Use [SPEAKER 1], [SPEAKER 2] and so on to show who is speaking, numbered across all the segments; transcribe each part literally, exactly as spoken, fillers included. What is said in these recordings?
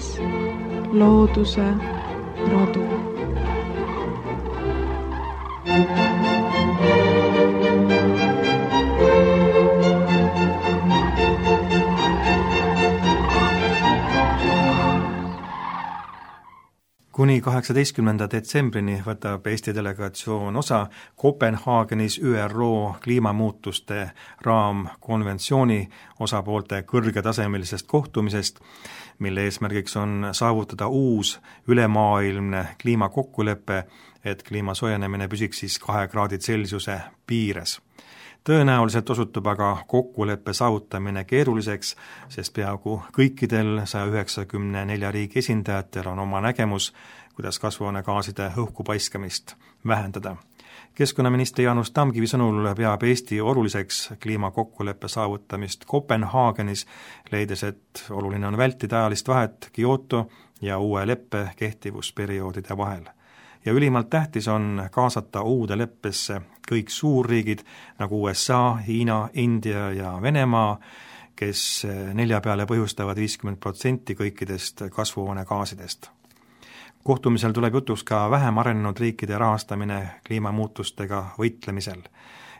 [SPEAKER 1] kuulates looduse rodu.
[SPEAKER 2] Kuni kaheksateistkümnenda detsembrini võtab Eesti delegatsioon osa Kopenhaagenis Ü R O kliimamuutuste raamkonventsiooni osapoolte kõrgetasemelisest kohtumisest, mille eesmärgiks on saavutada uus ülemaailmne kliimakokkulepe, et kliima soojenemine püsiks siis kahe kraadi Celsiuse piires. Tõenäoliselt osutub aga kokkuleppe saavutamine keeruliseks, sest peaaegu kõikidel saja üheksakümne nelja riigi esindajatel on oma nägemus, kuidas kasvuhoonegaaside õhku paiskamist vähendada. Keskkonnaministri Jaanus Tamkivi sõnul peab Eesti oluliseks kliimakokkuleppe saavutamist Kopenhaagenis, leides, et oluline on vältida ajalist vahet Kyoto ja uue leppe kehtivusperioodide vahel. Ja ülimalt tähtis on kaasata uude leppesse kõik suurriigid nagu U S A, Hiina, India ja Venemaa, kes nelja peale põhjustavad viiskümmend protsenti kõikidest kasvuhoonegaasidest. Kohtumisel tuleb jutuks ka vähem arenenud riikide rahastamine kliimamuutustega võitlemisel.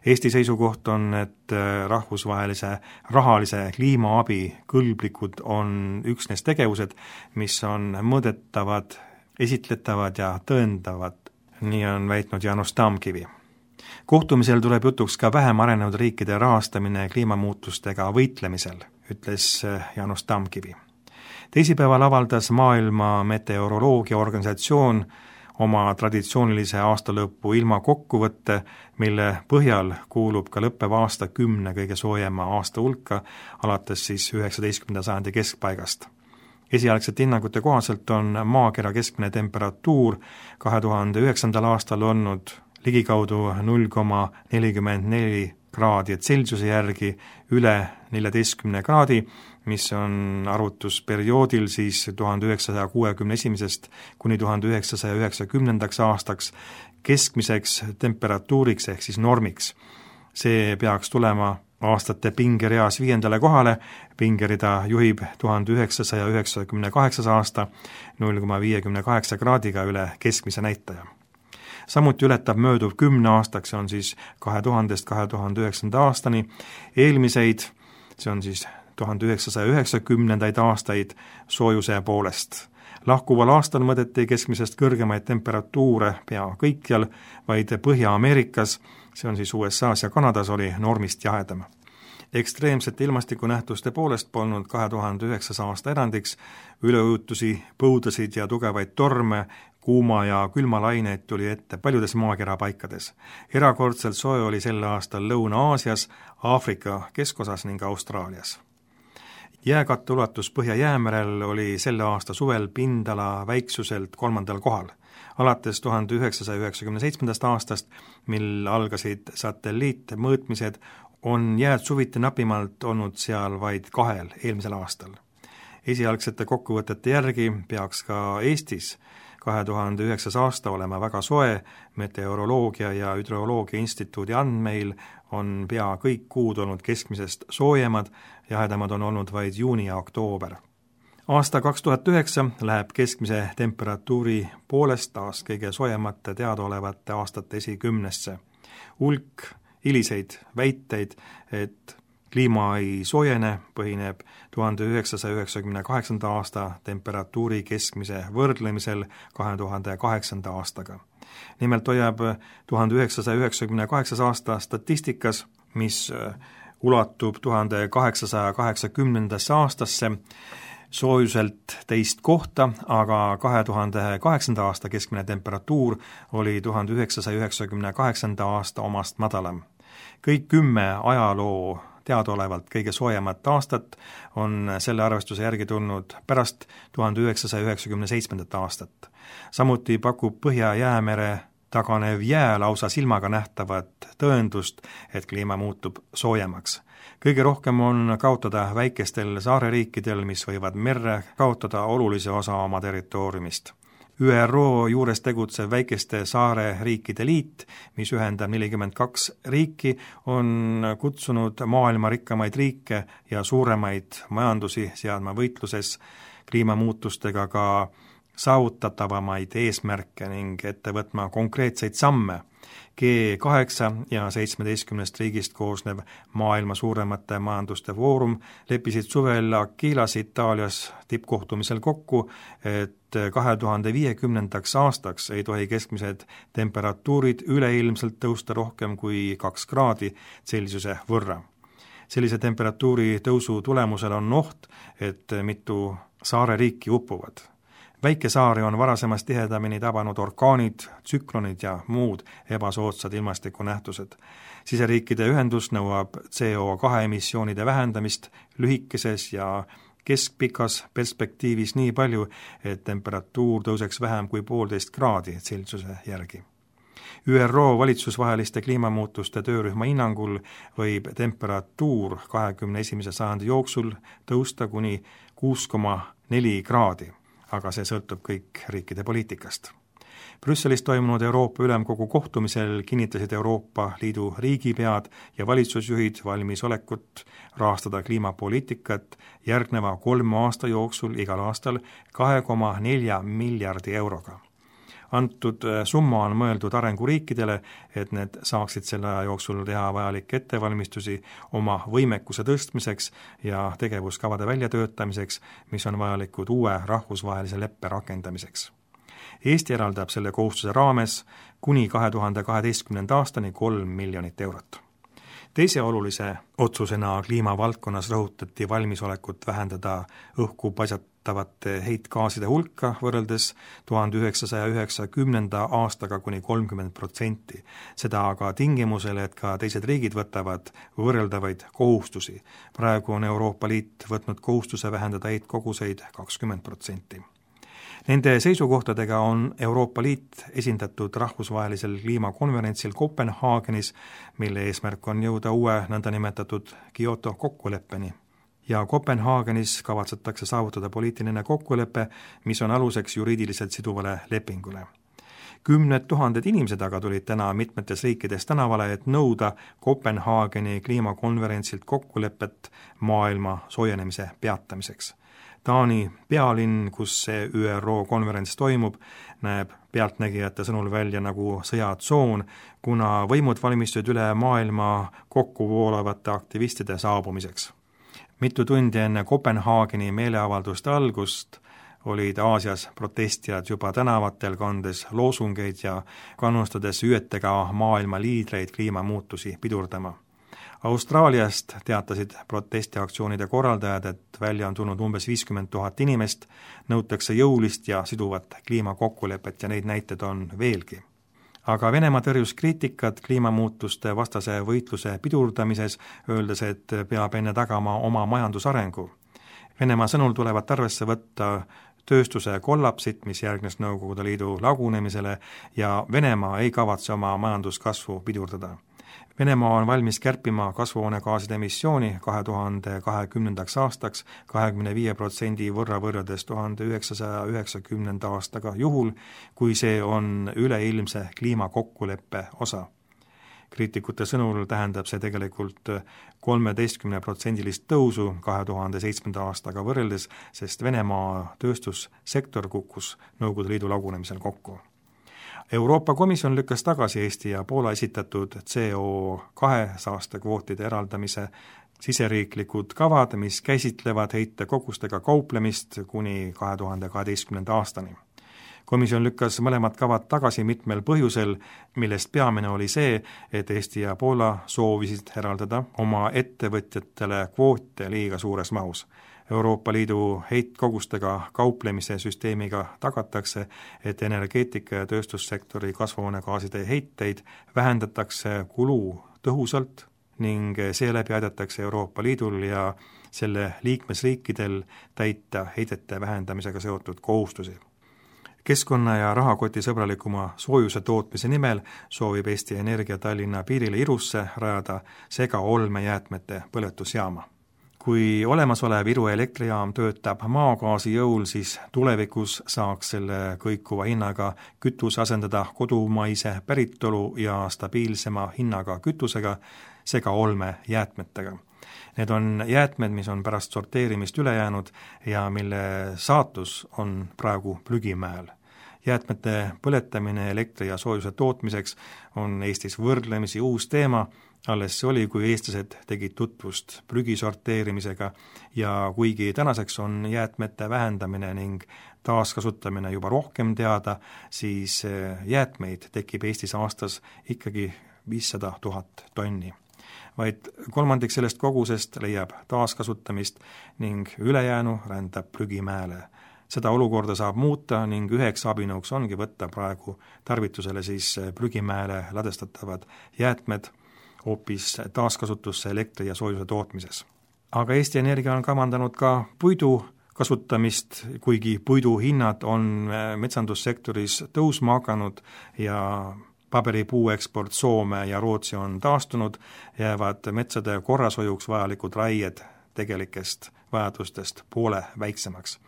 [SPEAKER 2] Eesti seisukoht on, et rahvusvahelise rahalise kliimaabi kõlblikud on üksnes tegevused, mis on mõõdetavad, esitletavad ja tõendavad, nii on väitnud Jaanus Tamkivi. Kohtumisel tuleb jutuks ka vähem arenenud riikide rahastamine kliimamuutustega võitlemisel, ütles Jaanus Tamkivi. Teisipäeval avaldas Maailma Meteoroloogia Organisatsioon oma traditsioonilise aastalõpu ilma kokkuvõtte, mille põhjal kuulub ka lõppev aasta kümne kõige soojema aasta hulka, alates siis üheksateistkümnenda sajandi keskpaigast. Esialgsete hinnangute kohaselt on maakera keskmine temperatuur kahe tuhande üheksandal aastal olnud ligikaudu null koma nelikümmend neli kraadi Celsiuse järgi üle neljateistkümne kraadi, mis on arvutusperioodil siis tuhande üheksasaja kuuekümne esimesest kuni tuhande üheksasaja üheksakümnendaks aastaks keskmiseks temperatuuriks ehk siis normiks. See peaks tulema aastate pingereas viiendale kohale, pingerida juhib tuhande üheksasaja üheksakümne kaheksas aasta null koma viiekümne kaheksa kraadiga üle keskmise näitaja. Samuti ületab mööduv kümne aastaks, see on siis kahe tuhandest kahe tuhande üheksanda aastani, eelmiseid, see on siis tuhande üheksasaja üheksakümnendaid aastaid soojuse poolest. Lahkuval aastal mõõdeti keskmisest kõrgemaid temperatuure pea kõikjal, vaid Põhja-Ameerikas, see on siis U S A's ja Kanadas, oli normist jahedam. Ekstreemsete ilmastikunähtuste poolest polnud kahe tuhande üheksas aasta erandiks, üleujutusi, põudasid ja tugevaid torme, kuuma ja külmalaineid tuli ette paljudes maakera paikades. Erakordselt soe oli sel aastal Lõuna-Aasias, Aafrika keskosas ning Austraalias. Jääkatte ulatus Põhja-Jäämerel oli selle aasta suvel pindala väiksuselt kolmandal kohal. Alates tuhande üheksasaja üheksakümne seitsmendast aastast, mil algasid satelliitmõõtmised, on jääd suviti napimalt olnud seal vaid kahel eelmisel aastal. Esialgsete kokkuvõtete järgi peaks ka Eestis kahe tuhande üheksas aasta olema väga soe, Meteoroloogia ja Hüdroloogia Instituudi andmeil on pea kõik kuud olnud keskmisest soojemad, jahedamad on olnud vaid juuni ja oktoober. Aasta kaks tuhat üheksa läheb keskmise temperatuuri poolest taas kõige soojemate teadaolevate aastate esikümnesse. Hulk hiliseid väiteid, et kliima ei soojene, põhineb tuhande üheksasaja üheksakümne kaheksanda aasta temperatuuri keskmise võrdlemisel kahe tuhande kaheksanda aastaga. Nimelt hoiab tuhande üheksasaja üheksakümne kaheksas aasta statistikas, mis ulatub tuhande kaheksasaja kaheksakümnendasse aastasse, soojuselt teist kohta, aga kahe tuhande kaheksanda aasta keskmine temperatuur oli tuhande üheksasaja üheksakümne kaheksanda aasta omast madalam. Kõik kümme ajaloo teadaolevalt kõige soojemat aastat on selle arvestuse järgi tulnud pärast tuhande üheksasaja üheksakümne seitsmendat aastat. Samuti pakub Põhja-Jäämere taganev jää lausa silmaga nähtavat tõendust, et kliima muutub soojemaks. Kõige rohkem on kaotada väikestel saareriikidel, mis võivad merre kaotada olulise osa oma territooriumist. Ü R O juures tegutsev väikeste saare riikide liit, mis ühendab nelikümmend kaks riiki, on kutsunud maailma rikkamaid riike ja suuremaid majandusi seadma võitluses kliimamuutustega ka saavutatavamaid eesmärke ning ette võtma konkreetseid samme. G kaheksa ja seitsmeteistkümnest riigist koosnev maailma suuremate majanduste foorum leppisid suvel Aquilas Itaalias tippkohtumisel kokku, et kahe tuhande viiekümnendaks aastaks ei tohi keskmised temperatuurid üleilmselt tõusta rohkem kui kaks kraadi Celsiuse võrra. Sellise temperatuuri tõusu tulemusel on oht, et mitu saareriiki uppuvad. Väikesaari on varasemast tihedamini tabanud orkaanid, tsüklonid ja muud ebasoodsad ilmastikunähtused. Siseriikide ühendus nõuab C O kahe emissioonide vähendamist lühikeses ja keskpikas perspektiivis nii palju, et temperatuur tõuseks vähem kui poolteist kraadi Celsiuse järgi. Ü R O valitsusvaheliste kliimamuutuste töörühma hinnangul võib temperatuur kahekümne esimese sajandi jooksul tõusta kuni kuus koma neli kraadi. Aga see sõltub kõik riikide poliitikast. Brüsselis toimunud Euroopa Ülemkogu kohtumisel kinnitasid Euroopa Liidu riigipead ja valitsusjuhid valmisolekut rahastada kliimapoliitikat järgneva kolme aasta jooksul igal aastal kahe koma nelja miljardi euroga. Antud summa on mõeldud arenguriikidele, et need saaksid selle aja jooksul teha vajalikke ettevalmistusi oma võimekuse tõstmiseks ja tegevuskavade väljatöötamiseks, mis on vajalikud uue rahvusvahelise leppe rakendamiseks. Eesti eraldab selle kohustuse raames kuni kahe tuhande kaheteistkümnenda aastani kolm miljonit eurot. Teise olulise otsusena kliimavaldkonnas rõhutati valmisolekut vähendada õhku paisatavate heitgaaside hulka võrreldes tuhande üheksasaja üheksakümnenda aastaga kuni kolmkümmend protsenti. Seda aga tingimusel, et ka teised riigid võtavad võrreldavaid kohustusi. Praegu on Euroopa Liit võtnud kohustuse vähendada heitkoguseid kakskümmend protsenti. Nende seisukohtadega on Euroopa Liit esindatud rahvusvahelisel kliimakonverentsil Kopenhaagenis, mille eesmärk on jõuda uue nõndanimetatud Kyoto kokkuleppeni. Ja Kopenhaagenis kavatsetakse saavutada poliitiline kokkulepe, mis on aluseks juriidiliselt siduvale lepingule. Kümned tuhanded inimesed aga tulid täna mitmetes riikides tänavale, et nõuda Kopenhaageni kliimakonverentsilt kokkulepet maailma soojenemise peatamiseks. Taani pealinn, kus see Ü R O konverents toimub, näeb pealtnägijate sõnul välja nagu sõjatsoon, kuna võimud valmistusid üle maailma kokku voolavate aktivistide saabumiseks. Mitu tundi enne Kopenhaageni meeleavalduste algust olid Aasias protestijad juba tänavatel kandes loosungeid ja kannustades ÜETega maailma liidreid kliimamuutusi pidurdama. Austraaliast teatasid protestiaktsioonide korraldajad, et välja on tulnud umbes viiskümmend tuhat inimest, nõutakse jõulist ja siduvat kliimakokkulepet ja neid näited on veelgi. Aga Venemaa tõrjus kriitikat kliimamuutuste vastase võitluse pidurdamises, öeldes, et peab enne tagama oma majandusarengu. Venemaa sõnul tulevat arvesse võtta tööstuse kollapsit, mis järgnes Nõukogude Liidu lagunemisele, ja Venemaa ei kavatse oma majanduskasvu pidurdada. Venemaa on valmis kärpima kasvuhoonegaaside emissiooni kahe tuhande kahekümnendaks aastaks kahekümne viie protsendi võrra võrreldes tuhande üheksasaja üheksakümnenda aastaga juhul, kui see on üleilmse kliimakokkuleppe osa. Kriitikute sõnul tähendab see tegelikult kolmeteistkümne protsendilist tõusu kahe tuhande seitsmenda aastaga võrreldes, sest Venemaa tööstussektor kukkus Nõukogude Liidu lagunemisel kokku. Euroopa Komisjon lükkas tagasi Eesti ja Poola esitatud C O kahe saastekvootide eraldamise siseriiklikud kavad, mis käsitlevad heitekogustega kauplemist kuni kahe tuhande kaheteistkümnenda aastani. Komisjon lükkas mõlemad kavad tagasi mitmel põhjusel, millest peamine oli see, et Eesti ja Poola soovisid eraldada oma ettevõtjatele kvoote liiga suures mahus. Euroopa Liidu heitkogustega kauplemise süsteemiga tagatakse, et energeetika ja tööstussektori kasvuhoonegaaside heiteid vähendatakse kulu tõhusalt ning seeläbi aidatakse Euroopa Liidul ja selle liikmesriikidel täita heidete vähendamisega seotud kohustusi. Keskkonna- ja rahakoti sõbralikuma soojuse tootmise nimel soovib Eesti Energia Tallinna piirile Irusse rajada segaolmejäätmete põletusjaama. Kui olemasolev Iru elektrijaam töötab maagaasi jõul, siis tulevikus saaks selle kõikuva hinnaga kütuse asendada kodumaise päritolu ja stabiilsema hinnaga kütusega segaolmejäätmetega. Need on jäätmed, mis on pärast sorteerimist üle jäänud ja mille saatus on praegu prügimäel. Jäätmete põletamine elektri ja soojuse tootmiseks on Eestis võrdlemisi uus teema, alles see oli, kui eestlased tegid tutvust prügi sorteerimisega ja kuigi tänaseks on jäätmete vähendamine ning taaskasutamine juba rohkem teada, siis jäätmeid tekib Eestis aastas ikkagi viissada tuhat tonni. Vaid kolmandik sellest kogusest leiab taaskasutamist ning ülejäänu rändab prügimäele. Seda olukorda saab muuta ning üheks abinõuks ongi võtta praegu tarvitusele siis prügimäele ladestatavad jäätmed hoopis taaskasutusse elektri ja soojuse tootmises. Aga Eesti Energia on kavandanud ka puidu kasutamist, kuigi puidu hinnad on metsandussektoris tõusma hakanud ja paberipuu eksport Soome ja Rootsi on taastunud, jäävad metsade korrashoiuks vajalikud raied tegelikest vajadustest poole väiksemaks.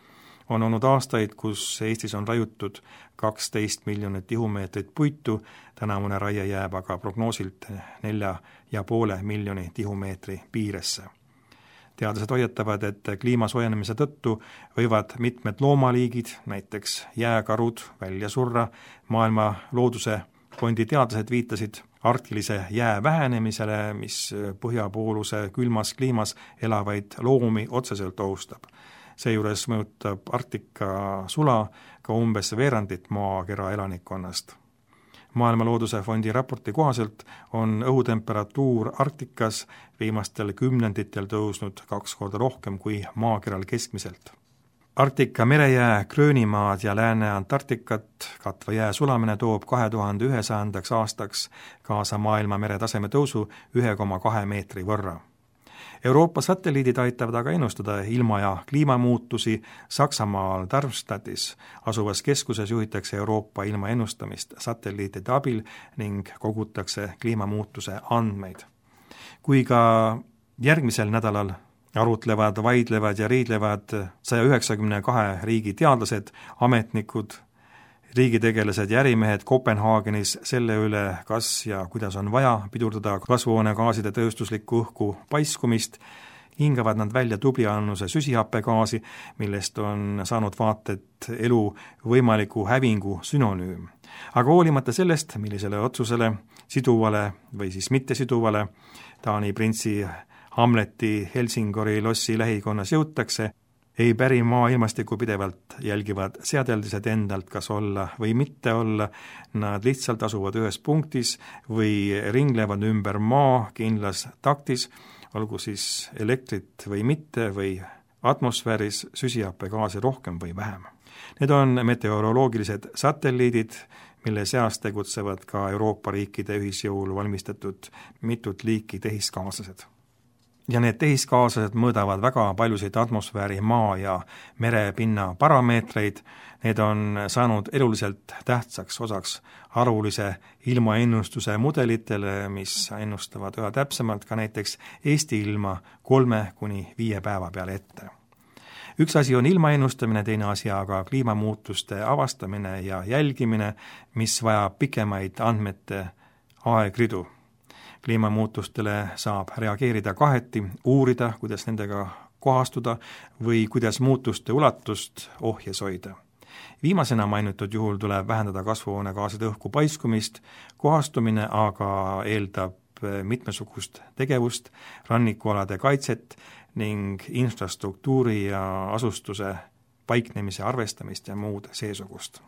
[SPEAKER 2] On olnud aastaid, kus Eestis on raiutud kaksteist miljonit tihumeetrit puitu, tänavune raie jääb aga prognoosilt nelja ja poole miljoni tihumeetri piiresse. Teadlased hoiatavad, et kliima soojenemise tõttu võivad mitmed loomaliigid, näiteks jääkarud, välja surra. Maailma looduse fondi teadlased viitasid arktilise jää vähenemisele, mis põhjapooluse külmas kliimas elavaid loomi otseselt ohustab. Seejuures mõjutab Arktika sula ka umbes veerandit maakera elanikkonnast. Maailma looduse fondi raporti kohaselt on õhutemperatuur Arktikas viimastel kümnenditel tõusnud kaks korda rohkem kui maakeral keskmiselt. Arktika merejää, Gröönimaad ja Lääne-Antarktikat katva jää sulamine toob kahe tuhande ühesajandaks aastaks kaasa maailma meretaseme tõusu ühe koma kahe meetri võrra. Euroopa satelliidid aitavad aga ennustada ilma- ja kliimamuutusi. Saksamaal Darmstadtis asuvas keskuses juhitakse Euroopa ilma ennustamist satelliitide abil ning kogutakse kliimamuutuse andmeid. Kui ka järgmisel nädalal arutlevad, vaidlevad ja riidlevad saja üheksakümne kahe riigi teadlased, ametnikud, riigitegelased ja ärimehed Kopenhaagenis selle üle, kas ja kuidas on vaja pidurdada kasvuhoonegaaside tööstuslikku õhku paiskumist, hingavad nad välja tubli annuse süsihappegaasi, millest on saanud vaated elu võimaliku hävingu sünonüüm. Aga hoolimata sellest, millisele otsusele, siduvale või siis mittesiduvale, Taani printsi Hamleti Helsingori lossi lähikonnas jõutakse, ei päri maa ilmastikku pidevalt jälgivad seadeldised endalt, kas olla või mitte olla, nad lihtsalt asuvad ühes punktis või ringlevad ümber maa kindlas taktis, olgu siis elektrit või mitte või atmosfääris süsihappegaasi rohkem või vähem. Need on meteoroloogilised satelliidid, mille seas tegutsevad ka Euroopa riikide ühisjõul valmistatud mitut liiki tehiskaaslased. Ja need tehiskaaslased mõõdavad väga paljusid atmosfääri, maa ja merepinna parameetreid. Need on saanud eluliselt tähtsaks osaks arvulise ilmaennustuse mudelitele, mis ennustavad üha täpsemalt ka näiteks Eesti ilma kolme kuni viie päeva peale ette. Üks asi on ilmaennustamine, teine asi aga kliimamuutuste avastamine ja jälgimine, mis vajab pikemaid andmete aegridu. Kliimamuutustele saab reageerida kaheti, uurida, kuidas nendega kohastuda või kuidas muutuste ulatust ohjes hoida. Viimasena mainitud juhul tuleb vähendada kasvuhoonegaaside õhku paiskumist, kohastumine aga eeldab mitmesugust tegevust, rannikualade kaitset ning infrastruktuuri ja asustuse paiknemise arvestamist ja muud seesugust.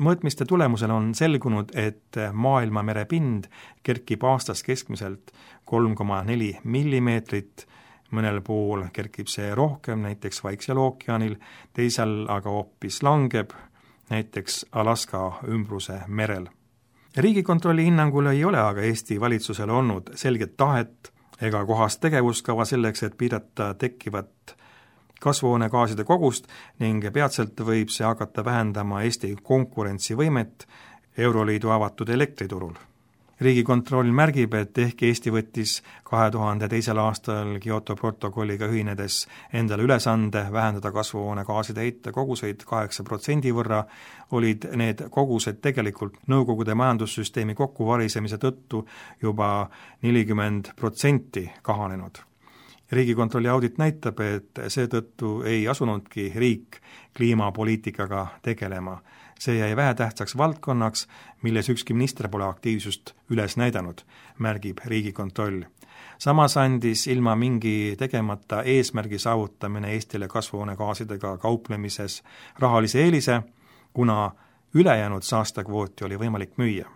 [SPEAKER 2] Mõõtmiste tulemusel on selgunud, et maailma merepind kerkib aastas keskmiselt kolm koma neli millimeetrit, mõnel pool kerkib see rohkem, näiteks Vaiksel ookeanil, teisel aga hoopis langeb, näiteks Alaska ümbruse merel. Riigikontrolli hinnangul ei ole aga Eesti valitsusel olnud selget tahet ega kohast tegevuskava selleks, et piirata tekkivat kasvuhoonegaaside kogust ning peatselt võib see hakata vähendama Eesti konkurentsivõimet Euroliidu avatud elektriturul. Riigikontroll märgib, et ehkki Eesti võttis kahe tuhande teisel aastal Kyoto protokolliga ühinedes endale ülesande vähendada kasvuhoonegaaside heite koguseid kaheksa protsendi võrra, olid need kogused tegelikult Nõukogude majandussüsteemi kokkuvarisemise tõttu juba nelikümmend protsenti kahanenud. Riigikontrolli audit näitab, et seetõttu ei asunudki riik kliimapoliitikaga tegelema. See jäi vähetähtsaks valdkonnaks, milles ükski minister pole aktiivsust üles näidanud, märgib Riigikontroll. Samas andis ilma mingi tegemata eesmärgi saavutamine Eestile kasvuhoonegaasidega kauplemises rahalise eelise, kuna ülejäänud saastekvooti oli võimalik müüa.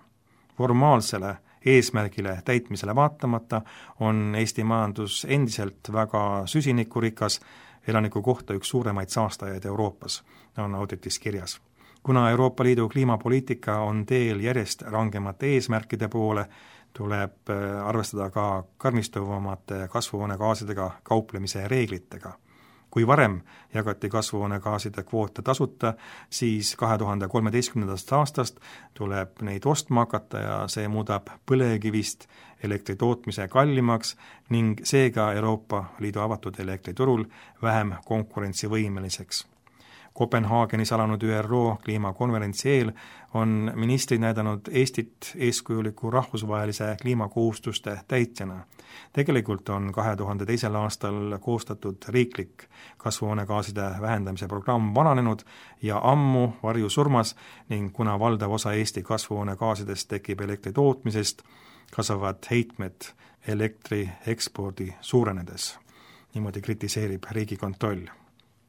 [SPEAKER 2] Formaalsele eesmärgile täitmisele vaatamata on Eesti majandus endiselt väga süsinikurikas, elaniku kohta üks suuremaid saastajaid Euroopas, on auditis kirjas. Kuna Euroopa Liidu kliimapoliitika on teel järjest rangemate eesmärkide poole, tuleb arvestada ka karmistuvamate kasvuhoonegaasidega kauplemise reeglitega. Kui varem jagati kasvuhoonegaaside kvoote tasuta, siis kahe tuhande kolmeteistkümnendast aastast tuleb neid ostma hakata ja see muudab põlevkivist elektri tootmise kallimaks ning seega Euroopa Liidu avatud elektriturul vähem konkurentsivõimeliseks. Kopenhaagenis alanud Ü R O kliimakonverentsi eel on ministrid näidanud Eestit eeskujuliku rahvusvahelise kliimakohustuste täitjana. Tegelikult on kahe tuhande teisel aastal koostatud riiklik kasvuhoonegaaside vähendamise programm vananenud ja ammu varjusurmas ning kuna valdav osa Eesti kasvuhoonegaasidest tekib elektri tootmisest, kasvavad heitmed elektri ekspordi suurenedes. Niimoodi kritiseerib Riigikontroll.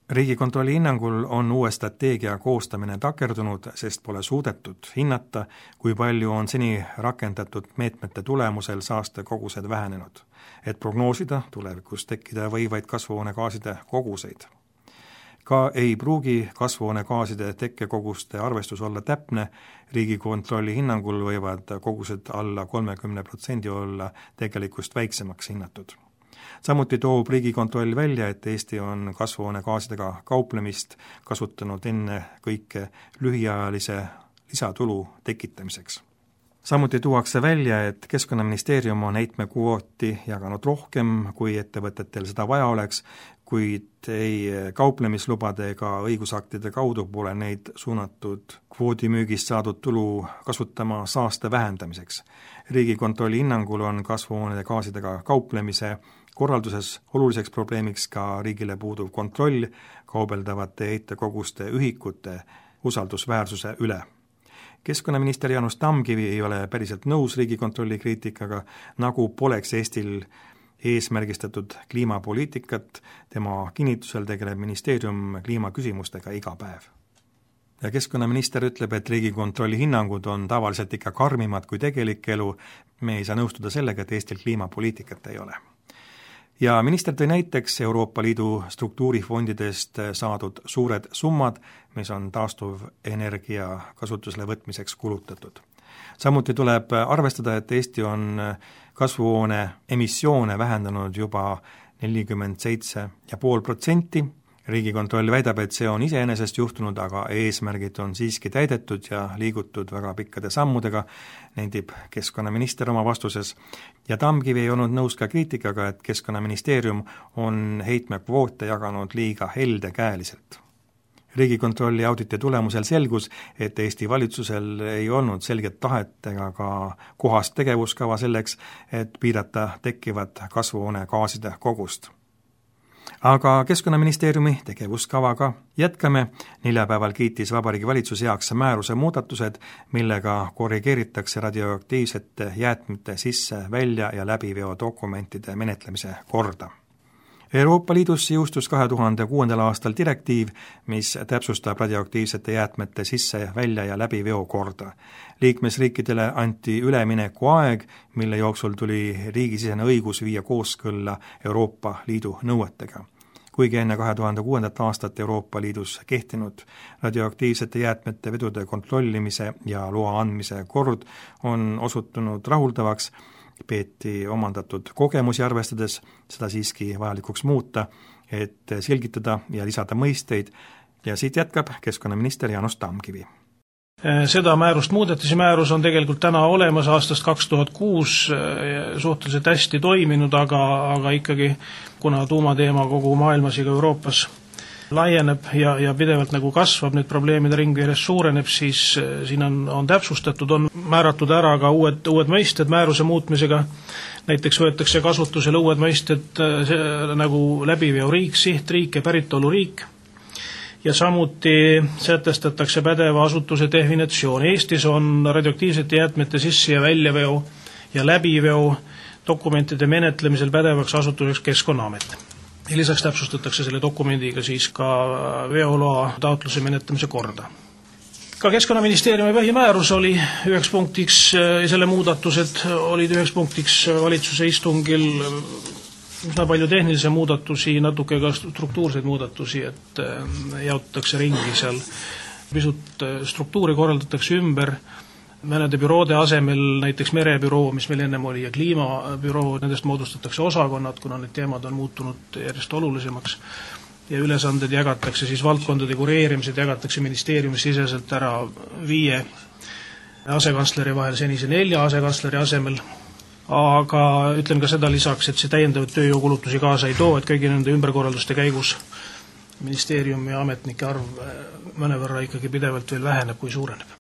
[SPEAKER 2] Riigikontrolli hinnangul on uue strateegia koostamine takerdunud, sest pole suudetud hinnata, kui palju on seni rakendatud meetmete tulemusel saastekogused vähenenud, et prognoosida tulevikus tekkida võivaid kasvuhoonegaaside koguseid. Ka ei pruugi kasvuhoonegaaside tekkekoguste arvestus olla täpne, Riigikontrolli hinnangul võivad kogused alla kolmekümne protsendi olla tegelikust väiksemaks hinnatud. Samuti toob Riigikontroll välja, et Eesti on kasvuhoonegaasidega kauplemist kasutanud enne kõike lühiajalise lisatulu tekitamiseks. Samuti tuuakse välja, et Keskkonnaministeerium on heitmekvooti jaganud rohkem, kui ettevõtetel seda vaja oleks, kuid ei kauplemislubade ega õigusaktide kaudu pole neid suunatud kvoodimüügist saadud tulu kasutama saaste vähendamiseks. Riigikontrolli hinnangul on kasvuhoonegaasidega kauplemise korralduses oluliseks probleemiks ka riigile puuduv kontroll kaubeldavate heitekoguste ühikute usaldusväärsuse üle. Keskkonnaminister Jaanus Tamkivi ei ole päriselt nõus Riigikontrolli kriitikaga, nagu poleks Eestil eesmärgistatud kliimapoliitikat, tema kinnitusel tegeleb ministeerium kliimaküsimustega iga päev. Ja keskkonnaminister ütleb, et Riigikontrolli hinnangud on tavaliselt ikka karmimad kui tegelik elu, me ei saa nõustuda sellega, et Eestil kliimapoliitikat ei ole. Ja minister tõi näiteks Euroopa Liidu struktuurifondidest saadud suured summad, mis on taastuv energia kasutusele võtmiseks kulutatud. Samuti tuleb arvestada, et Eesti on kasvuhoone emissioone vähendanud juba nelikümmend seitse ja pool protsenti. Riigikontroll väidab, et see on iseenesest juhtunud, aga eesmärgid on siiski täidetud ja liigutud väga pikkade sammudega, nendib keskkonnaminister oma vastuses. Ja Tamkivi ei olnud nõus ka kriitikaga, et Keskkonnaministeerium on heitmekvoote jaganud liiga heldekäeliselt. Riigikontrolli auditi tulemusel selgus, et Eesti valitsusel ei olnud selget tahet ega ka kohast tegevuskava selleks, et piirata tekkivat kasvuhoonegaaside kogust. Aga Keskkonnaministeeriumi tegevuskavaga jätkame. Neljapäeval kiitis Vabariigi Valitsus heaks määruse muudatused, millega korrigeeritakse radioaktiivsete jäätmete sisse, välja ja läbiveo dokumentide menetlemise korda. Euroopa Liidus jõustus kahe tuhande kuuendal aastal direktiiv, mis täpsustab radioaktiivsete jäätmete sisse, välja ja läbiveo korda. Liikmesriikidele anti ülemineku aeg, mille jooksul tuli riigisisene õigus viia kooskõlla Euroopa Liidu nõuetega. Kuigi enne kahe tuhande kuuendat aastat Euroopa Liidus kehtinud radioaktiivsete jäätmete vedude kontrollimise ja loa andmise kord on osutunud rahuldavaks, peeti omandatud kogemusi arvestades seda siiski vajalikuks muuta, et selgitada ja lisada mõisteid ja siit jätkab keskkonnaminister Jaanus Tamkivi.
[SPEAKER 3] Seda määrust muudeti, see määrus on tegelikult täna olemas aastast kaks tuhat kuus suhteliselt hästi toiminud, aga, aga ikkagi kuna tuumateema kogu maailmas ja Euroopas laieneb ja, ja pidevalt nagu kasvab, need probleemide ring järjest suureneb, siis siin on, on täpsustatud, on määratud ära ka uued, uued mõisted määruse muutmisega. Näiteks võetakse kasutusele uued mõisted nagu läbiveoriik, sihtriik ja päritoluriik. Ja samuti sätestatakse pädeva asutuse definitsioon. Eestis on radioaktiivsete jäätmete sisse- ja väljaveo ja läbiveo dokumentide menetlemisel pädevaks asutuseks Keskkonnaamet. Ja lisaks täpsustatakse selle dokumendiga siis ka veoloa taotluse menetlemise korda. Ka Keskkonnaministeeriumi põhimäärus oli üheks punktiks, selle muudatused olid üheks punktiks valitsuse istungil üsna palju tehnilisi muudatusi, natuke ka struktuurseid muudatusi, et jaotatakse ringi seal. Pisut struktuuri korraldatakse ümber, mõnede büroode asemel, näiteks merebüroo, mis meil ennem oli, ja kliimabüroo, nendest moodustatakse osakonnad, kuna need teemad on muutunud järjest olulisemaks. Ja ülesanded jagatakse siis valdkondade kureerimised, jagatakse ministeeriumis siseselt ära viie asekantsleri vahel senise nelja asekantsleri asemel. Aga ütlen ka seda lisaks, et see täiendavat tööjõukulutusi kaasa ei too, et kõigi nende ümberkorralduste käigus ministeeriumi ja ametnike arv mõnevõrra ikkagi pidevalt veel väheneb, kui suureneb.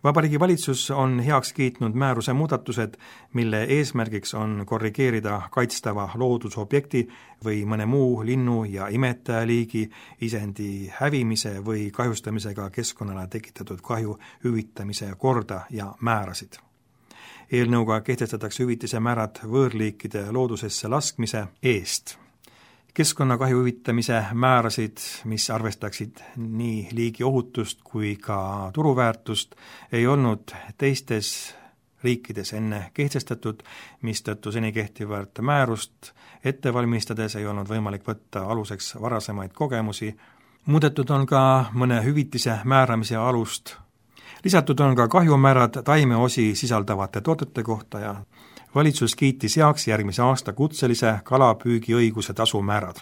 [SPEAKER 2] Vabariigi valitsus on heaks kiitnud määruse muudatused, mille eesmärgiks on korrigeerida kaitstava loodusobjekti või mõne muu linnu ja imetajaliigi isendi hävimise või kahjustamisega keskkonnale tekitatud kahju hüvitamise korda ja määrasid. Eelnõuga kehtestatakse hüvitise määrad võõrliikide loodusesse laskmise eest. Keskkonnakahju hüvitamise määrasid, mis arvestaksid nii liigi ohutust kui ka turuväärtust, ei olnud teistes riikides enne kehtestatud, mistõttu seni kehtivat määrust ette valmistades ei olnud võimalik võtta aluseks varasemaid kogemusi. Muudetud on ka mõne hüvitise määramise alust. Lisatud on ka kahjumäärad taimeosi sisaldavate toodete kohta ja valitsus kiitis heaks järgmise aasta kutselise kalapüügiõiguse tasumäärad.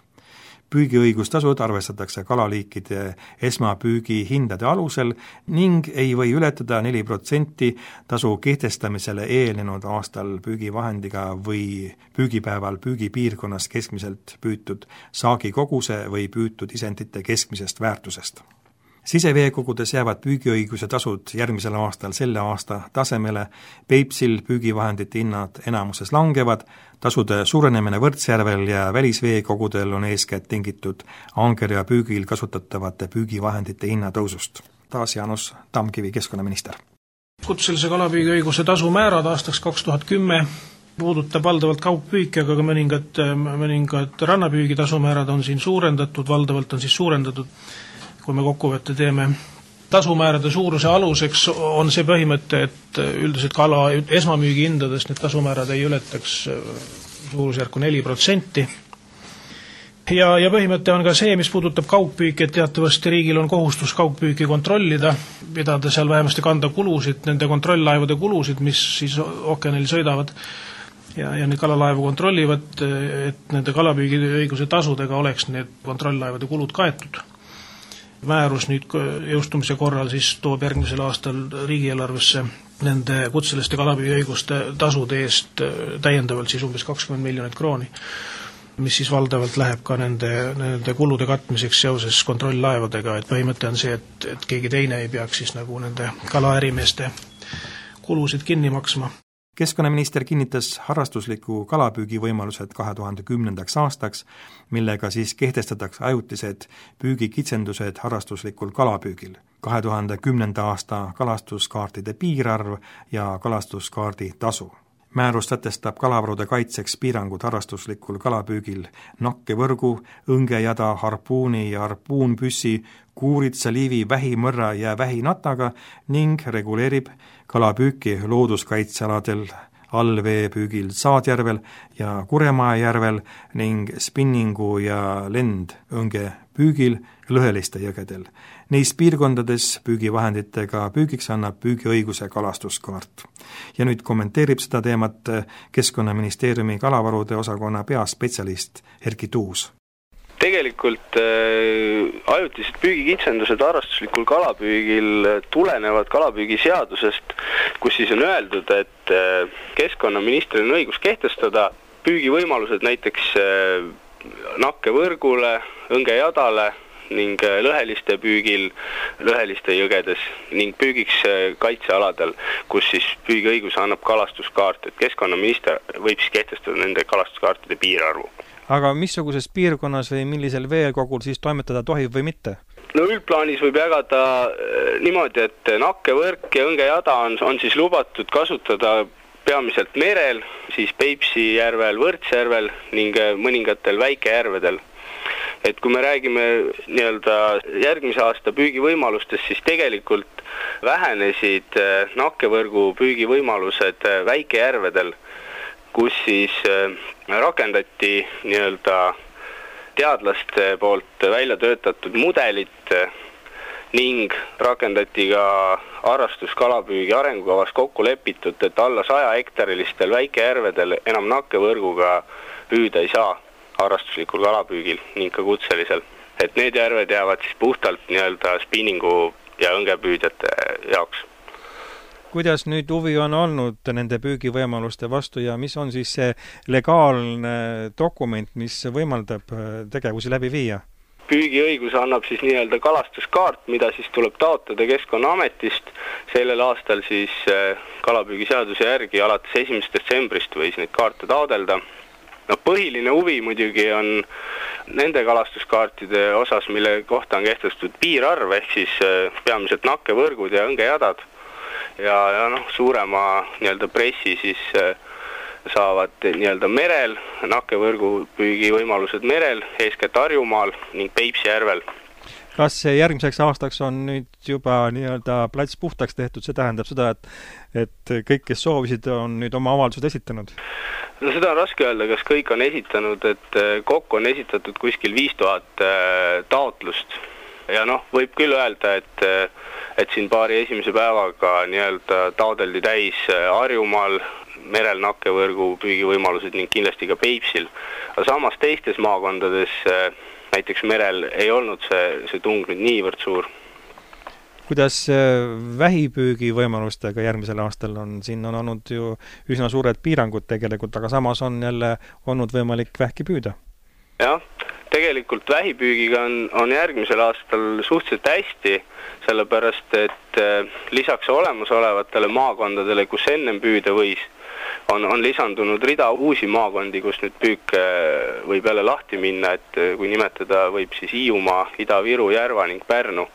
[SPEAKER 2] Püügiõigustasud arvestatakse kalaliikide esmapüügi hindade alusel ning ei või ületada neli protsenti tasu kehtestamisele eelnenud aastal püügivahendiga või püügipäeval püügipiirkonnas keskmiselt püütud saagikoguse või püütud isendite keskmisest väärtusest. Siseveekogudes jäävad püügiõiguse tasud järgmisel aastal selle aasta tasemele, Peipsil püügivahendite hinnad enamuses langevad, tasude suurenemine Võrtsjärvel ja välisveekogudel on eeskätt tingitud angerja püügil kasutatavate püügivahendite hinnatõusust. Taas Jaanus Tamkivi, keskkonnaminister.
[SPEAKER 3] Kutselise kalapüügiõiguse tasumäärad aastaks kaks tuhat kümme puudutab valdavalt kaugpüüki, aga ka mõningad, mõningad rannapüügi tasumäärad on siin suurendatud, valdavalt on siis suurendatud. Kui me kokkuvõtte teeme tasumäärade suuruse aluseks, on see põhimõte, et üldiselt kala esmamüügi hindadest need tasumäärad ei ületaks suurusjärku neli protsenti. Ja, ja põhimõte on ka see, mis puudutab kaugpüüki, et teatavasti riigil on kohustus kaugpüüki kontrollida, pidada seal vähemasti kanda kulusid, nende kontrolllaevade kulusid, mis siis ookeanil sõidavad ja, ja need kalalaevu kontrollivad, et nende kalapüügiõiguse tasudega oleks need kontrolllaevade kulud kaetud. Määrus nüüd jõustumise korral siis toob järgmisel aastal riigieelarvesse nende kutseliste kalapüügiõiguste tasude eest täiendavalt siis umbes kakskümmend miljonit krooni, mis siis valdavalt läheb ka nende, nende kulude katmiseks seoses kontrolllaevadega, et põhimõte on see, et, et keegi teine ei peaks siis nagu nende kalaärimeeste kulusid kinni maksma.
[SPEAKER 2] Keskkonnaminister kinnitas harrastusliku kalapüügi võimalused kahe tuhande kümnendaks aastaks, millega siis kehtestatakse ajutised püügikitsendused harrastuslikul kalapüügil. kahe tuhande kümnenda aasta kalastuskaartide piirarv ja kalastuskaardi tasu. Määrus sätestab kalavarude kaitseks piirangud harrastuslikul kalapüügil nakkevõrgu, õngejada, harpuuni ja harpuunpüssi, kuuritsa, liivi, vähimõrra ja vähinataga ning reguleerib kalapüüki looduskaitsealadel, allveepüügil Saadjärvel ja Kuremaa järvel ning spinningu ja lendõnge püügil lõheliste jõgedel. Neis piirkondades püügivahenditega püügiks annab püügiõiguse kalastuskaart. Ja nüüd kommenteerib seda teemat Keskkonnaministeeriumi kalavarude osakonna peaspetsialist Erki Tuus.
[SPEAKER 4] Tegelikult äh, ajutised püügikitsendused harrastuslikul kalapüügil tulenevad kalapüügiseadusest, kus siis on öeldud, et äh, keskkonnaministril on õigus kehtestada püügivõimalused näiteks äh, nakkevõrgule, õngejadale ning lõheliste püügil lõheliste jõgedes ning püügiks kaitsealadel, kus siis püügiõiguse annab kalastuskaart, et keskkonnaminister võib siis kehtestada nende kalastuskaartide piirarvu.
[SPEAKER 2] Aga missuguses piirkonnas või millisel veekogul siis toimetada tohib või mitte?
[SPEAKER 4] No üldplaanis võib jagada niimoodi, et nakkevõrk ja õngejada on, on siis lubatud kasutada peamiselt merel, siis Peipsi järvel, Võrtsjärvel ning mõningatel väikejärvedel. Et kui me räägime nii-öelda järgmise aasta püügivõimalustest, siis tegelikult vähenesid nakkevõrgu püügivõimalused väikejärvedel, kus siis rakendati nii-öelda teadlaste poolt välja töötatud mudelit ning rakendati ka harrastuskalapüügi arengukavas kokku lepitud, et alla saja hektarilistel väikejärvedel enam nakkevõrguga püüda ei saa harrastuslikul kalapüügil ning ka kutselisel. Et need järved jäävad siis puhtalt nii-öelda spinningu ja õngepüüdjate jaoks.
[SPEAKER 2] Kuidas nüüd huvi on olnud nende püügivõimaluste vastu ja mis on siis see legaalne dokument, mis võimaldab tegevusi läbi viia?
[SPEAKER 4] Püügiõigus annab siis nii-öelda kalastuskaart, mida siis tuleb taotleda Keskkonnaametist. Sellel aastal siis kalapüügiseaduse järgi alates esimesest detsembrist võis neid kaarte taodelda. No, põhiline huvi muidugi on nende kalastuskaartide osas, mille kohta on kehtestatud piirarv, ehk siis peamiselt nakkevõrgud ja õngejadad. Ja, ja noh, suurema nii-öelda pressi siis saavad nii-öelda merel, nakkevõrgu püügi võimalused merel, eeskätt Harjumaal ning Peipsi järvel.
[SPEAKER 2] Kas järgmiseks aastaks on nüüd juba nii-öelda plats puhtaks tehtud, see tähendab seda, et, et kõik, kes soovisid, on nüüd oma avaldused esitanud?
[SPEAKER 4] No seda on raske öelda, kas kõik on esitanud, et kokku on esitatud kuskil viis tuhat taotlust. Ja noh, võib küll öelda, et, et siin paari esimese päevaga nii-öelda taodeldi täis Harjumaal, merel nakkevõrgu püügivõimalused ning kindlasti ka Peipsil. Aga samas teistes maakondades, näiteks merel, ei olnud see, see tung nüüd niivõrd suur.
[SPEAKER 2] Kuidas vähipüügi võimalustega järgmisel aastal on? Siin on olnud ju üsna suured piirangud tegelikult, aga samas on jälle olnud võimalik vähki püüda.
[SPEAKER 4] Jah, tegelikult vähipüügiga on, on järgmisel aastal suhteliselt hästi, sellepärast et lisaks olemasolevatele maakondadele, kus ennem püüda võis, on, on lisandunud rida uusi maakondi, kus nüüd püük võib jälle lahti minna, et kui nimetada võib siis Hiiumaa, Ida-Viru, Järva ning Pärnu.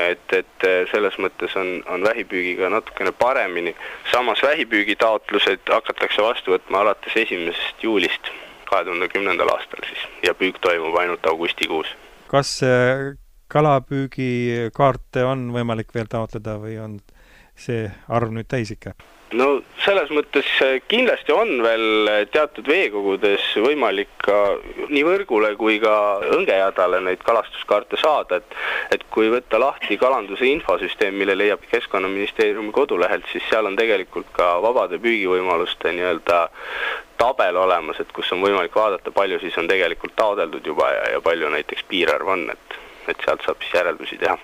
[SPEAKER 4] Et, et selles mõttes on, on vähipüügiga natukene paremini. Samas vähipüügi taotlused hakatakse vastu võtma alates esimesest juulist kahe tuhande kümnendal aastal siis ja püük toimub ainult augustikuus.
[SPEAKER 2] Kas kalapüügikaarte on võimalik veel taotleda või on see arv nüüd täis ikka?
[SPEAKER 4] No selles mõttes kindlasti on veel teatud veekogudes võimalik ka nii võrgule kui ka õngejadale neid kalastuskaarte saada, et, et kui võtta lahti kalanduse infosüsteem, mille leiab Keskkonnaministeeriumi kodulehelt, siis seal on tegelikult ka vabade püügivõimaluste nii-öelda tabel olemas, et kus on võimalik vaadata, palju siis on tegelikult taodeldud juba ja, ja palju näiteks piirarv on, et, et sealt saab siis järeldusi teha.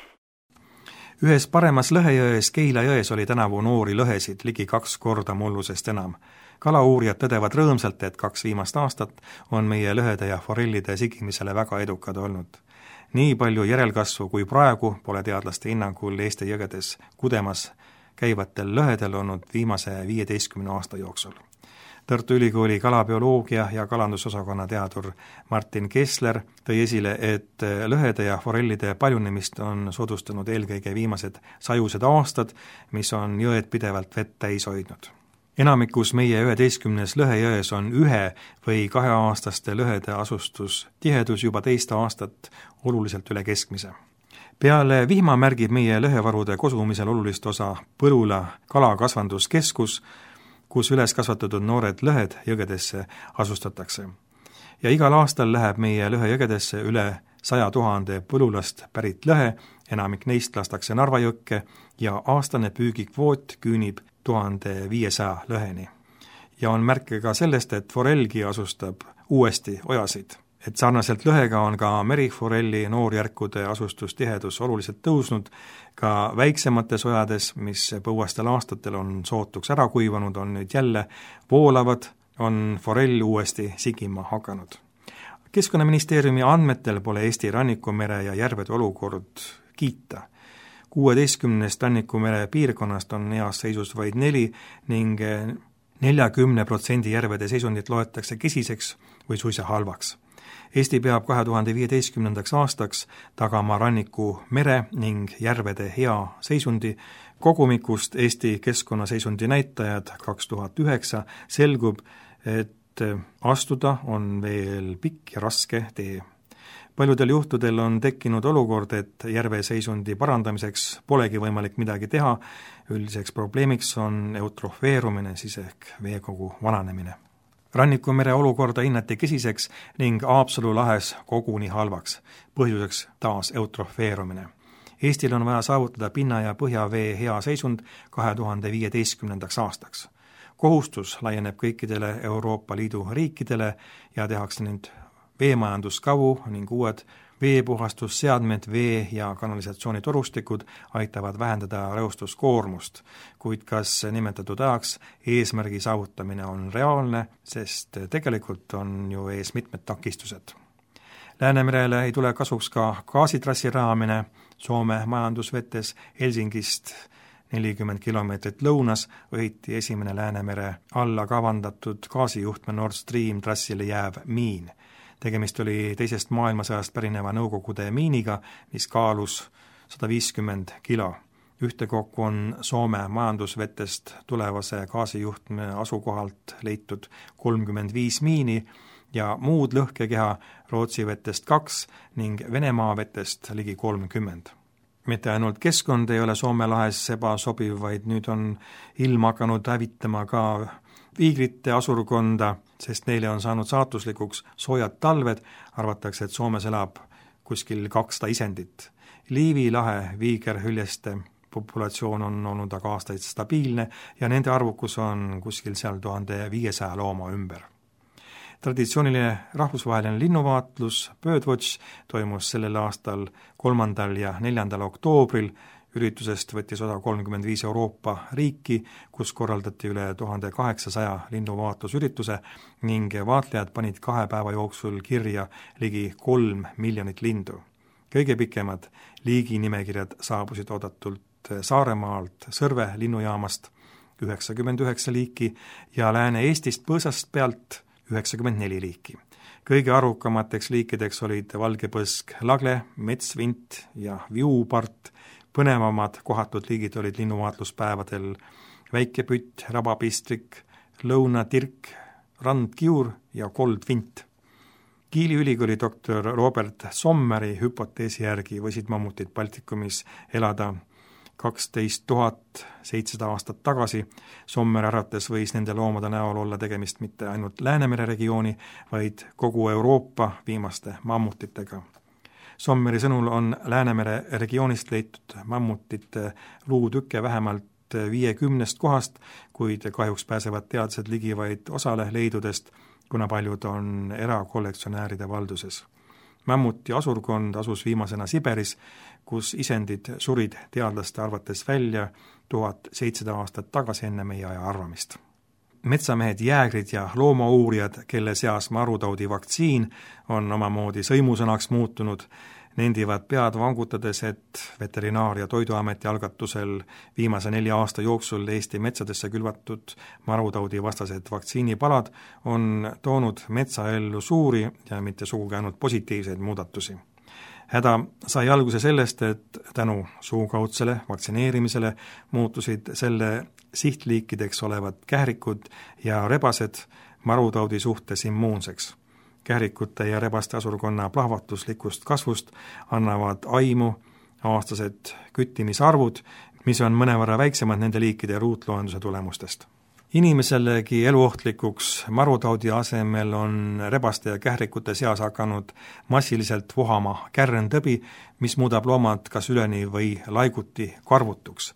[SPEAKER 2] Ühes paremas Lõhejões, Keila jões oli tänavu noori lõhesid ligi kaks korda mullusest enam. Kalauurijad tõdevad rõõmsalt, et kaks viimast aastat on meie lõhede ja forellide sigimisele väga edukad olnud. Nii palju järelkasvu kui praegu pole teadlaste hinnangul Eesti jõgedes kudemas käivatel lõhedel olnud viimase viieteistkümne aasta jooksul. Tartu Ülikooli kalabioloogia ja kalandusosakonna teadur Martin Kessler tõi esile, et lõhede ja forellide paljunemist on soodustanud eelkõige viimased sajused aastad, mis on jõed pidevalt vett täis hoidnud. Enamikus meie üheteistkümnes lõhejões on ühe või kaheaastaste lõhede asustustihedus juba teist aastat oluliselt üle keskmise. Peale vihma märgib meie lõhevarude kosumisel olulist osa Põlula kalakasvanduskeskus, kus üles kasvatatud noored lõhed jõgedesse asustatakse. Ja igal aastal läheb meie lõhejõgedesse üle saja tuhande põlulast pärit lõhe, enamik neist lastakse Narva jõkke ja aastane püügikvoot küünib tuhande viiesaja lõheni. Ja on märke ka sellest, et forellgi asustab uuesti ojasid. Et sarnaselt lõhega on ka meriforelli noorjärkude asustustihedus oluliselt tõusnud, ka väiksemates ojades, mis põuastel aastatel on sootuks ära kuivanud, on nüüd jälle voolavad, on forell uuesti sigima hakanud. Keskkonnaministeeriumi andmetel pole Eesti rannikumere ja järvede olukord kiita. kuueteistkümnest rannikumere piirkonnast on heas seisus vaid neli ning neljakümne protsendi järvede seisundit loetakse kesiseks või suisa halvaks. Eesti peab kahe tuhande viieteistkümnendaks aastaks tagama ranniku mere ning järvede hea seisundi. Kogumikust Eesti keskkonnaseisundi näitajad kaks tuhat üheksa selgub, et astuda on veel pikk ja raske tee. Paljudel juhtudel on tekkinud olukord, et järve seisundi parandamiseks polegi võimalik midagi teha. Üldiseks probleemiks on eutrofeerumine, siis ehk veekogu vananemine. Rannikumere olukorda hinnati kesiseks ning Haapsalu lahes koguni halvaks, põhjuseks taas eutrofeerumine. Eestil on vaja saavutada pinna- ja põhjavee hea seisund kahe tuhande viieteistkümnendaks aastaks. Kohustus laieneb kõikidele Euroopa Liidu riikidele ja tehakse nüüd veemajanduskavu ning uued veepuhastusseadmed, vee- ja kanalisatsioonitorustikud aitavad vähendada reostuskoormust, kuid kas nimetatud ajaks eesmärgi saavutamine on reaalne, sest tegelikult on ju ees mitmed takistused. Läänemerele ei tule kasuks ka gaasitrassi rajamine Soome majandusvetes Helsingist nelikümmend kilomeetrit lõunas õhiti esimene Läänemere alla kavandatud gaasijuhtme Nord Stream trassile jääv miin. Tegemist oli teisest maailmasõjast pärineva Nõukogude miiniga, mis kaalus sada viiskümmend kilo. Ühtekokku on Soome majandusvetest tulevase gaasijuhtme asukohalt leitud kolmkümmend viis miini ja muud lõhkekeha Rootsi vetest kaks ning Venemaa vetest ligi kolmkümmend. Mitte ainult keskkond ei ole Soome lahes ebasobiv, vaid nüüd on ilm hakanud hävitama ka viigrite asurkonda, sest neile on saanud saatuslikuks soojad talved, arvatakse, et Soomes elab kuskil kakssada isendit. Liivi lahe viigerhüljeste populatsioon on olnud aga aastaid stabiilne ja nende arvukus on kuskil seal tuhande viiesaja looma ümber. Traditsiooniline rahvusvaheline linnuvaatlus Birdwatch toimus sellel aastal kolmandal ja neljandal oktoobril. Üritusest võttis osa kolmkümmend viis Euroopa riiki, kus korraldati üle tuhande kaheksasaja linnuvaatlusürituse ning vaatlejad panid kahe päeva jooksul kirja ligi kolm miljonit lindu. Kõige pikemad liiginimekirjad saabusid oodatult Saaremaalt Sõrve linnujaamast üheksakümmend üheksa liiki ja Lääne-Eestist Põõsast pealt üheksakümmend neli liiki. Kõige arvukamateks liikideks olid valgepõsk lagle, metsvint ja viupart. Põnevamad kohatud liigid olid linnuvaatluspäevadel väikepütt, rabapistrik, lõunatirk, randkiur ja koldvint. Kiili ülikooli doktor Robert Sommeri hüpoteesi järgi võisid mammutid Baltikumis elada kaksteist tuhat seitsesada aastat tagasi. Sommer arvates võis nende loomade näol olla tegemist mitte ainult Läänemere regiooni, vaid kogu Euroopa viimaste mammutitega. Sommeri sõnul on Läänemere regioonist leitud mammutite luutükke vähemalt viiekümnest kohast, kuid kahjuks pääsevad teadlased ligi vaid osale leidudest, kuna paljud on erakollektsionääride valduses. Mammuti asurkond asus viimasena Siberis, kus isendid surid teadlaste arvates välja tuhat seitsesada aastat tagasi enne meie aja arvamist. Metsamehed, jäägrid ja loomauurijad, kelle seas marutaudi vaktsiin on omamoodi sõimusõnaks muutunud, nendivad pead vangutades, et Veterinaar- ja Toiduameti algatusel viimase nelja aasta jooksul Eesti metsadesse külvatud marutaudi vastased vaktsiinipalad on toonud metsaellu suuri ja mitte sugugi ainult positiivseid muudatusi. Häda sai alguse sellest, et tänu suukaudsele vaktsineerimisele muutusid selle sihtliikideks olevad kährikud ja rebased marutaudi suhtes immuunseks. Kährikute ja rebaste asurkonna plahvatuslikust kasvust annavad aimu aastased küttimisarvud, mis on mõnevõrra väiksemad nende liikide ruutloenduse tulemustest. Inimeselegi eluohtlikuks marutaudi asemel on rebaste ja kährikute seas hakanud massiliselt vohama kärrentõbi, mis muudab loomad kas üleni või laiguti karvutuks.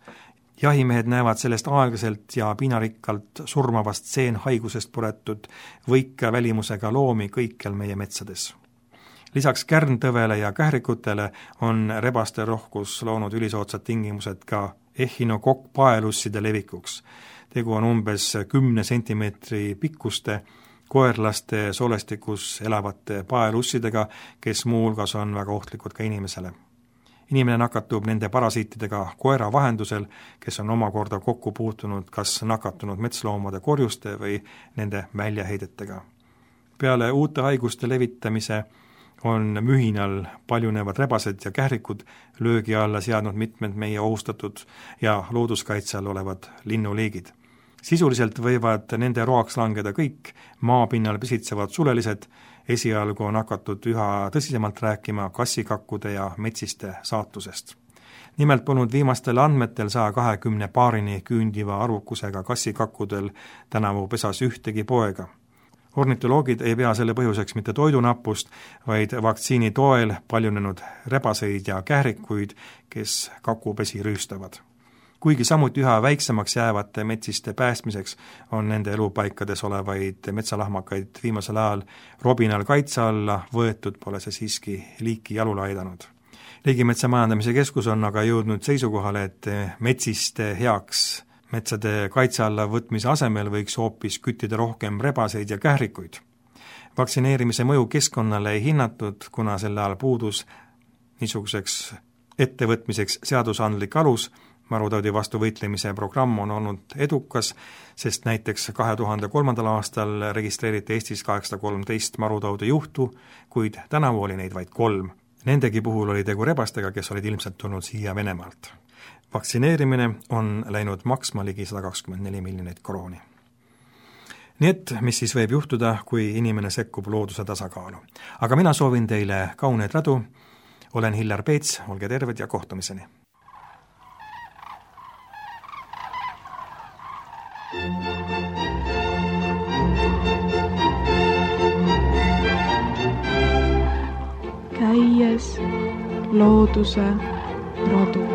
[SPEAKER 2] Jahimehed näevad sellest aeglaselt ja piinarikkalt surmavast seenhaigusest puretud võika välimusega loomi kõikjal meie metsades. Lisaks kärntõvele ja kährikutele on rebaste rohkus loonud ülisootsad tingimused ka ehinokokkpaelusside levikuks. Tegu on umbes kümne sentimeetri pikkuste koerlaste soolestikus elavate paelussidega, kes muuhulgas on väga ohtlikud ka inimesele. Inimene nakatub nende parasiitidega koera vahendusel, kes on omakorda kokku puutunud kas nakatunud metsloomade korjuste või nende väljaheidetega. Peale uute haiguste levitamise on mühinal paljunevad rebased ja kährikud löögi alla seadnud mitmed meie ohustatud ja looduskaitse all olevad linnuliigid. Sisuliselt võivad nende roaks langeda kõik maapinnal pisitsevad sulelised, esialgu on hakatud üha tõsisemalt rääkima kassikakkude ja metsiste saatusest. Nimelt polnud viimastel andmetel saja kahekümne paarini küündiva arvukusega kassikakkudel tänavu pesas ühtegi poega. Ornitoloogid ei pea selle põhjuseks mitte toidunappust, vaid vaktsiini toel paljunenud rebaseid ja kährikuid, kes kakupesi rüüstavad. Kuigi samuti üha väiksemaks jäävate metsiste päästmiseks on nende elupaikades olevaid metsalahmakaid viimasel ajal robinal kaitse alla võetud, pole see siiski liiki jalule aidanud. Riigimetsa majandamise keskus on aga jõudnud seisukohale, et metsiste heaks metsade kaitse alla võtmise asemel võiks hoopis küttida rohkem rebaseid ja kährikuid. Vaktsineerimise mõju keskkonnale ei hinnatud, kuna selle ajal puudus niisuguseks ettevõtmiseks seadusandlik alus. Marutaudi vastu võitlemise programm on olnud edukas, sest näiteks kahe tuhande kolmandal aastal registreeriti Eestis kaheksasada kolmteist marutaudi juhtu, kuid tänavu oli neid vaid kolm. Nendegi puhul oli tegu rebastega, kes olid ilmselt tulnud siia Venemaalt. Vaktsineerimine on läinud maksma ligi sada kakskümmend neli miljonit krooni. Nii et, mis siis võib juhtuda, kui inimene sekkub looduse tasakaalu. Aga mina soovin teile kauneid radu, olen Hillar Peets, olge terved ja kohtumiseni.
[SPEAKER 1] Käies looduse radu.